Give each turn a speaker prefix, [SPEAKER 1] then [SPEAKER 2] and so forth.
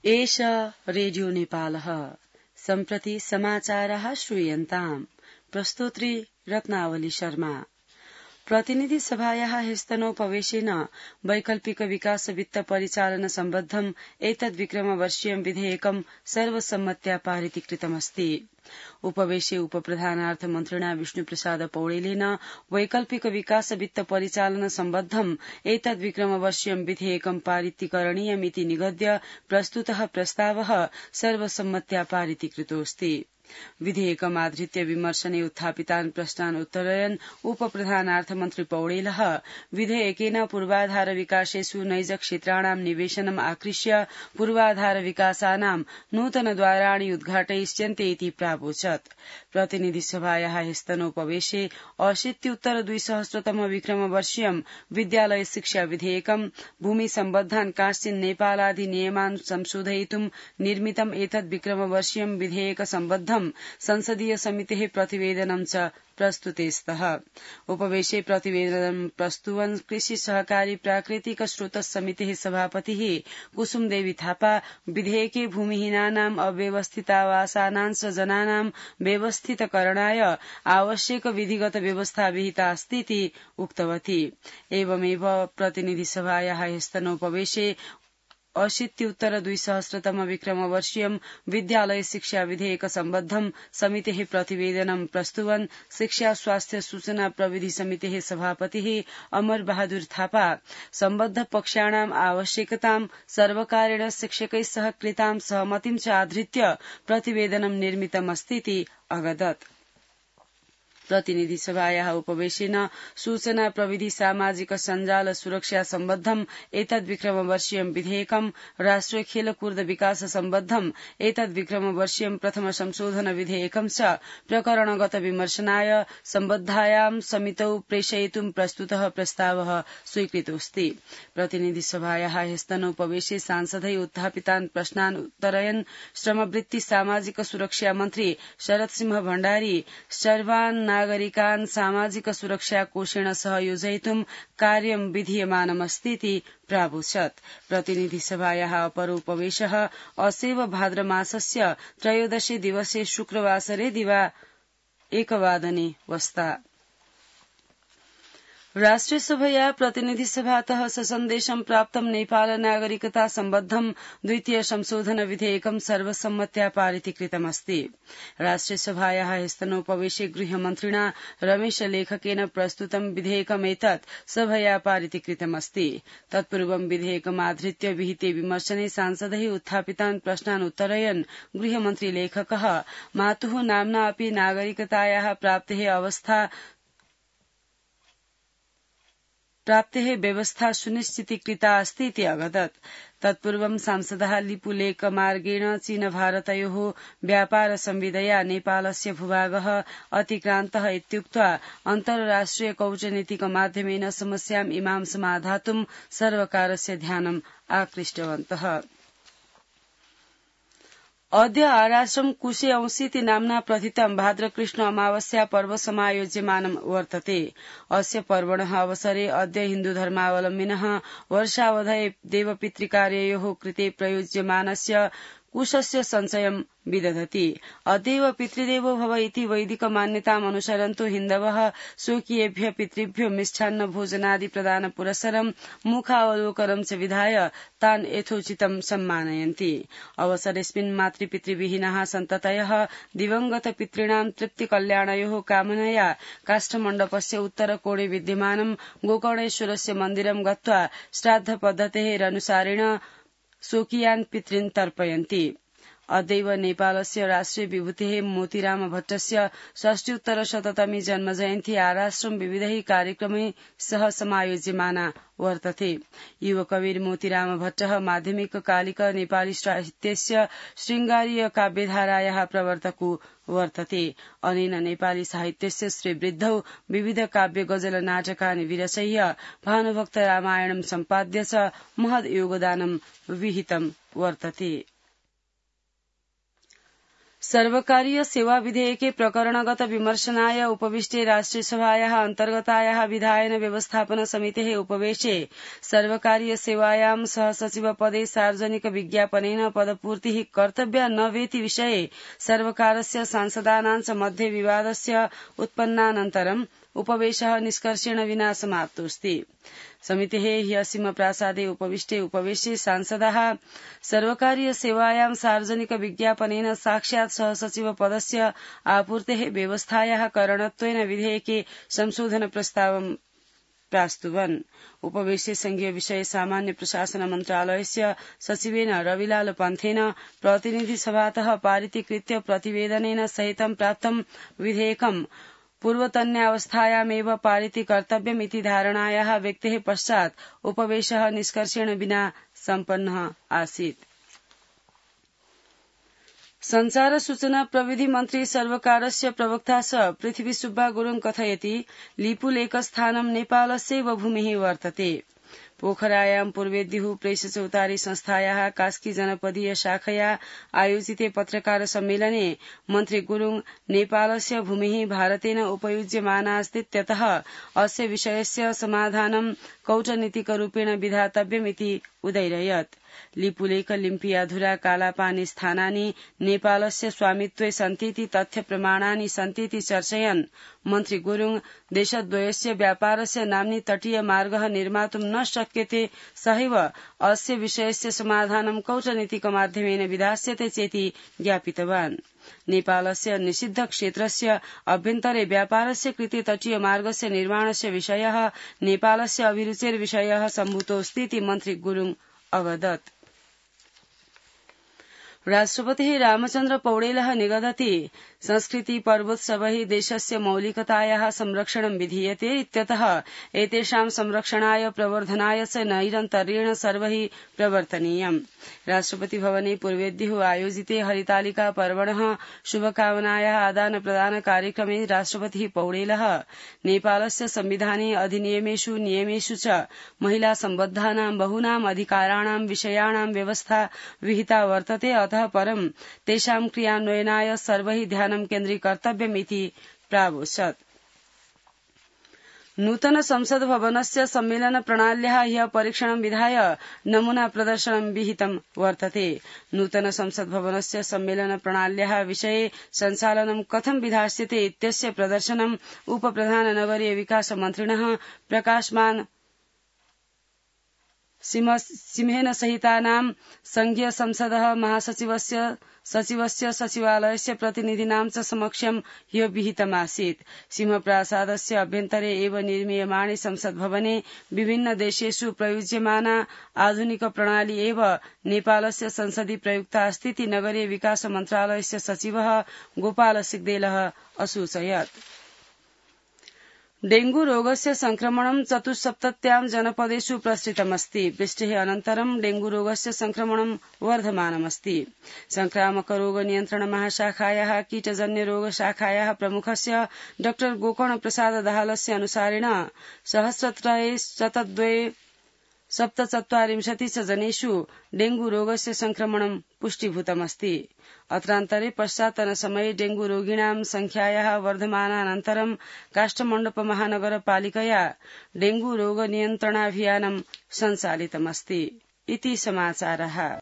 [SPEAKER 1] एष रेडियो नेपालः सम्प्रति समाचारः श्रूयन्ताम् प्रस्तोत्री रत्नावली शर्मा। प्रतिनिधि सभायाः ह्यस्तनोपवेशेन वैकल्पिक विकास वित्त परिचालन सम्बद्धम् एतद्विक्रमवर्षीयं विधेयकं सर्वसम्मत्या पारितीकृतमस्ति। उपवेशे उपप्रधानार्थमन्त्रिणा विष्णुप्रसाद पौडेलेन वैकल्पिक विकास वित्त परिचालन सम्बद्धम् एतद्विक्रमवर्षीयं विधेयकं पारितीकरणीयमिति निगद्य प्रस्तुतः प्रस्तावः सर्वसम्मत्या पारितीकृतोऽस्ति। विधेयकमाधृत्य विमर्शने उत्थापितान् प्रश्नान् उत्तरयन् उपप्रधानार्थमन्त्री पौडेलः विधेयकेन पूर्वाधार विकासेषु नैज क्षेत्राणां निवेशनम् आकृष्य पूर्वाधार विकासानां नूतनद्वाराणि उद्घाटयिष्यन्ते इति प्रावोचत्। प्रतिनिधि सभायाः ह्यस्तनोपवेशे 80-2000 विक्रमवर्षीयं विद्यालय शिक्षा विधेयकं भूमि सम्बद्धान् कांश्चिन् नेपालाधिनियमान् संशोधयितुं निर्मितम् एतद् विक्रमवर्षीयं विधेयक सम्बद्धं संसदीय समितेः प्रतिवेदनं च प्रस्तुते स्तः। उपवेशे प्रतिवेदनं प्रस्तुवन् कृषि सहकारी प्राकृतिक स्रोत समितेः सभापतिः कुसुमदेवी थापा विधेयके भूमिहीनानां अव्यवस्थितावासानांश जनानां व्यवस्थितकरणाय आवश्यक विधिगत व्यवस्था विहिता अस्तीति उक्तवती। एवमेव प्रतिनिधि सभायाः ह्यस्तनोपवेशे 80-2000 विक्रमवर्षीयं विद्यालय शिक्षा विधेयक सम्बद्धं समितेः प्रतिवेदनं प्रस्तुवन् शिक्षा स्वास्थ्य सूचना प्रविधि समितेः सभापतिः अमर बहादुर थापा सम्बद्ध पक्षाणाम् आवश्यकतां सर्वकारेण शिक्षकैः सह कृतां सहमतिं च आधृत्य प्रतिवेदनं निर्मितमस्तीति अवदत्। प्रतिनिधि सभायाः उपवेशेन सूचना प्रविधि सामाजिक सञ्जाल सुरक्षा सम्बद्धम् एतद्विक्रमवर्षीयं विधेयकं राष्ट्रिय खेलकूद विकास सम्बद्धम् एतद्विक्रमवर्षीयं प्रथम संशोधन विधेयकं च प्रकरणगत विमर्शनाय सम्बद्धायां समितौ प्रेषयितुं प्रस्तुतः प्रस्तावः स्वीकृतोऽस्ति। प्रतिनिधि सभायाः ह्यस्तनोपवेशे सांसदै उत्थापितान् प्रश्नान् उत्तरयन् श्रमवृत्ति सामाजिक सुरक्षा मन्त्री शरद सिंह भण्डारी सर्वान् नागरिकान् सामाजिक सुरक्षा कोषेण सह योजयितुं कार्यं विधीयमानमस्तीति प्रावोचत्। प्रतिनिधि सभायाः अपर उपवेशः असेव भाद्रमासस्य 13 दिवसे शुक्रवासरे दिवा 1 वादने वस्ता। राष्ट्रिय सभया प्रतिनिधि सभातः ससन्देशं प्राप्तं नेपाल नागरिकता सम्बद्धं द्वितीय संशोधन विधेयकं सर्वसम्मत्या पारितीकृतमस्ति। राष्ट्रिय सभायाः ह्यस्तनोपवेशे गृहमन्त्रिणा रमेश लेखकेन प्रस्तुतं विधेयकमेतत् सभया पारितीकृतमस्ति। तत्पूर्वं विधेयकमाधृत्य विहिते विमर्शने सांसदैः उत्थापितान् प्रश्नान् उत्तरयन् गृहमन्त्री लेखकः मातुः नाम्ना अपि नागरिकतायाः प्राप्तेः व्यवस्था सुनिश्चितीकृता अस्ति इति अवदत्। तत्पूर्वं सांसदः लिपुलेखमार्गेण चीन भारतयोः व्यापार संविदया नेपालस्य भूभागः अतिक्रान्तः इत्युक्त्वा अन्तर्राष्ट्रिय कूटनीतिक माध्यमेन समस्याम् इमां समाधातुं सर्वकारस्य ध्यानम् आकृष्टवन्तः। अद्य आराश्रम कुशे अंसीति नाम्ना प्रथितं भाद्रकृष्ण अमावस्या पर्व समायोज्यमानं वर्तते। अस्य पर्वणः अवसरे अद्य हिन्दुधर्मावलम्बिनः वर्षावधये देवपितृकार्ययोः कृते प्रयुज्यमानस्य कुशस्य सञ्चयं विदधति। अद्यैव पितृदेवो भव इति वैदिक मान्यताम् अनुसरन्तो हिन्दवः स्वकीयेभ्यः पितृभ्यो मिष्टान्न भोजनादि प्रदान पुरस्सरं मुखावलोकनं च विधाय तान् यथोचितं सम्मानयन्ति। अवसरेऽस्मिन् मातृपितृविहीनाः सन्ततयः दिवंगत पितॄणां तृप्तिकल्याणयोः कामनया काष्ठमण्डपस्य उत्तरकोणे विद्यमानं गोकर्णेश्वरस्य मन्दिरं गत्वा श्राद्धपद्धतेरनुसारेण स्वकीयान् पितॄन् तर्पयन्ति। अद्यैव नेपालस्य राष्ट्रिय विभूतेः मोतीराम भट्टस्य 60-तमी जन्मजयन्ती आराश्रम विविधैः कार्यक्रमैः सह समायोज्यमाना वर्तते। युवकविर मोतीराम भट्टः माध्यमिककालिक नेपाली साहित्यस्य शृङ्गारीय काव्यधारायाः प्रवर्तको वर्तते। अनेन नेपाली साहित्यस्य श्रीवृद्धौ विविध काव्य गजल नाटकानि विरचय्य भानुभक्त रामायणं सम्पाद्य च महद् योगदानं विहितं वर्तते। सर्वकारीय सेवा विधेयके प्रकरणगत विमर्शनाय उपविष्टे राष्ट्रियसभायाः अन्तर्गतायाः विधायन व्यवस्थापन समितेः उपवेशे सर्वकारीय सेवायां सहसचिवपदे सार्वजनिक विज्ञापनेन पदपूर्तिः कर्तव्या न वेति विषये सर्वकारस्य सांसदानां च मध्ये विवादस्य उत्पन्नानन्तरम् उपवेशः निष्कर्षेण विना समाप्तोऽस्ति। समितेः ह्यः सिंहप्रासादे उपवेशे सांसदाः सर्वकारीय सेवायां सार्वजनिक विज्ञापनेन साक्षात् सहसचिव पदस्य आपूर्तेः व्यवस्थायाः करणत्वेन विधेयके संशोधन प्रस्तावं प्रास्तुवन्। उपवेशे संघीय विषय सामान्य प्रशासन मन्त्रालयस्य सचिवेन रविलाल पन्थेन प्रतिनिधि सभातः पारितीकृत्य प्रतिवेदनेन सहितं प्राप्तं विधेयकं पूर्वतन्यावस्थायामेव पारिती कर्तव्यमिति धारणायाः व्यक्तेः पश्चात् उपवेशः निष्कर्षेण विना सम्पन्नः आसीत्। संचार सूचना प्रविधि मन्त्री सर्वकारस्य प्रवक्ता स पृथ्वी सुब्बा गुरुङ कथयति लिपुलेखस्थानं नेपालस्यैव भूमिः वर्तते। पोखरायां पूर्वेद्युः प्रेस चौतारी संस्थायाः कास्की जनपदीय शाखया आयोजिते पत्रकार सम्मेलने मन्त्री गुरुङ नेपालस्य भूमिः भारतेन उपयुज्यमानास्तीत्यतः अस्य विषयस्य समाधानं कौटनीतिकरूपेण विधातव्यमिति उदैरयत्। लिपुलेख लिम्पियाधुरा कालापानी स्थानानि नेपालस्य स्वामित्वे सन्तीति तथ्य प्रमाणानि सन्तीति चर्चयन् मन्त्री गुरुङ देशद्वयस्य व्यापारस्य नाम्नि तटीय मार्गः निर्मातुं न शक्यते सहैव अस्य विषयस्य समाधानं कौटनीतिकमाध्यमेन विधास्यते चेति ज्ञापितवान्। नेपालस्य निषिद्ध क्षेत्रस्य अभ्यन्तरे व्यापारस्य कृते तटीय मार्गस्य निर्माणस्य विषयः नेपालस्य अभिरुचेर्विषयः सम्भूतोऽस्तीति मन्त्री गुरुङ अवदत्। राष्ट्रपतिः रामचन्द्र पौडेलः निगदति संस्कृति पर्वोत्सवैः देशस्य मौलिकतायाः संरक्षणं विधीयते इत्यतः एतेषां संरक्षणाय प्रवर्धनाय च नैरन्तर्येण सर्वैः प्रवर्तनीयम्। राष्ट्रपति भवने पूर्वेद्युः आयोजिते हरितालिका पर्वणः शुभकामनायाः आदान प्रदान कार्यक्रमे राष्ट्रपतिः पौडेलः नेपालस्य संविधाने अधिनियमेषु नियमेषु च महिला सम्बद्धानां बहूनां अधिकाराणां विषयाणां व्यवस्था विहिता वर्तते अतः परं तेषां क्रियान्वयनाय सर्वैः ध्यानं केन्द्रीकर्तव्यमिति प्रावोचत्। नूतन संसद भवनस्य सम्मेलन प्रणाल्याः ह्यः परीक्षणं विधाय नमूना प्रदर्शनं विहितं वर्तते। नूतन संसद भवनस्य सम्मेलन प्रणाल्याः विषये सञ्चालनं कथं विधास्यते इत्यस्य प्रदर्शनं उपप्रधान नगरीय विकास मन्त्रिणः प्रकाशमान सिंहेन सहितानां संघीय संसदः महासचिवस्य सचिवस्य सचिवालयस्य प्रतिनिधीनां च समक्षं ह्यः विहितमासीत्। सिंहप्रासादस्य अभ्यन्तरे एव निर्मीयमाणे संसद भवने विभिन्न देशेषु प्रयुज्यमाना आधुनिक प्रणाली एव नेपालस्य संसदि प्रयुक्ता अस्तीति नगरीय विकास मन्त्रालयस्य सचिवः गोपाल सिग्देलः असूचयत्। डेंगू रोगस्य संक्रमणं 74 जनपदेषु प्रसृतमस्ति। वृष्टेः अनन्तरं डेंगू रोगस्य संक्रमणं वर्धमानमस्ति। संक्रामक रोग नियन्त्रण महाशाखायाः कीटजन्य रोग शाखायाः प्रमुखस्य डॉ गोकर्ण प्रसाद दाहालस्य अनुसारेण सहस्रत्रये 147 जनेषु डेंगू रोगस्य संक्रमणं पुष्टीभूतमस्ति। अत्रान्तरे पश्चात्तनसमये डेंगू रोगिणां संख्यायाः वर्धमानानन्तरं काष्ठमण्डप महानगरपालिकया डेंगू रोग नियन्त्रणाभियानं सञ्चालितमस्ति। इति समाचारः।